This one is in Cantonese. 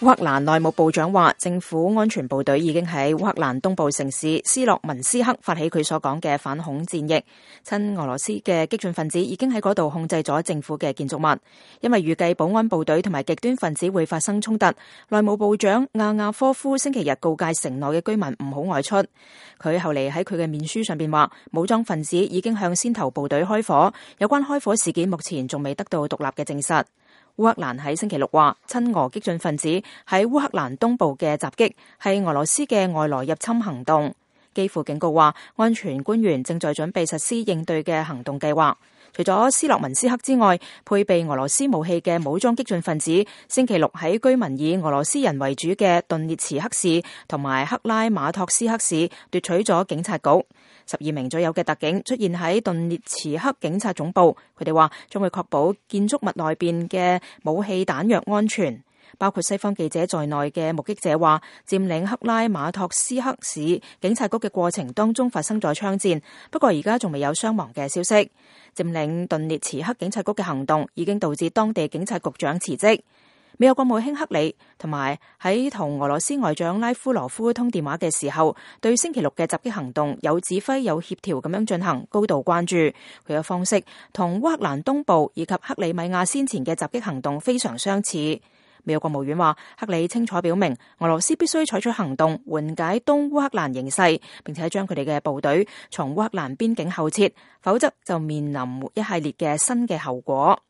烏克蘭內務部長話，政府安全部隊已經喺烏克蘭東部城市斯洛文斯克發起佢所講嘅反恐戰役。親俄羅斯嘅激進分子已經喺嗰度控制咗政府嘅建築物。因為預計保安部隊同埋極端分子會發生衝突，內務部長亞亞科夫星期日告誡城內嘅居民唔好外出。佢後嚟喺佢嘅面書上邊話，武裝分子已經向先頭部隊開火，有關開火事件目前仲未得到獨立嘅證實。烏克蘭喺星期六話，親俄激進分子喺烏克蘭東部嘅襲擊係俄羅斯嘅外來入侵行動。基輔警告話，安全官員正在準備實施應對嘅行動計劃。除咗斯洛文斯克之外，配備俄羅斯武器嘅武裝激進分子星期六喺居民以俄羅斯人為主嘅頓涅茨克市同埋克拉馬托斯克市奪取咗警察局。12名左右嘅特警出現喺頓涅茨克警察總部，佢哋話將會確保建築物內邊嘅武器彈藥安全。包括西方記者在內嘅目擊者話，佔領克拉馬托斯克市警察局嘅過程當中發生咗槍戰，不過而家仲未有傷亡嘅消息。佔領頓涅茨克警察局嘅行動已經導致當地警察局長辭職。美國國務卿克里同埋喺同俄羅斯外長拉夫羅夫通電話嘅時候，對星期六嘅襲擊行動有指揮有協調咁樣進行高度關注。佢嘅方式同烏克蘭東部以及克里米亞先前嘅襲擊行動非常相似。美國國務院話，克里清楚表明俄羅斯必須採取行動緩解東烏克蘭形勢，並且將佢哋嘅部隊從烏克蘭邊境後撤，否則就面臨一系列嘅新嘅後果。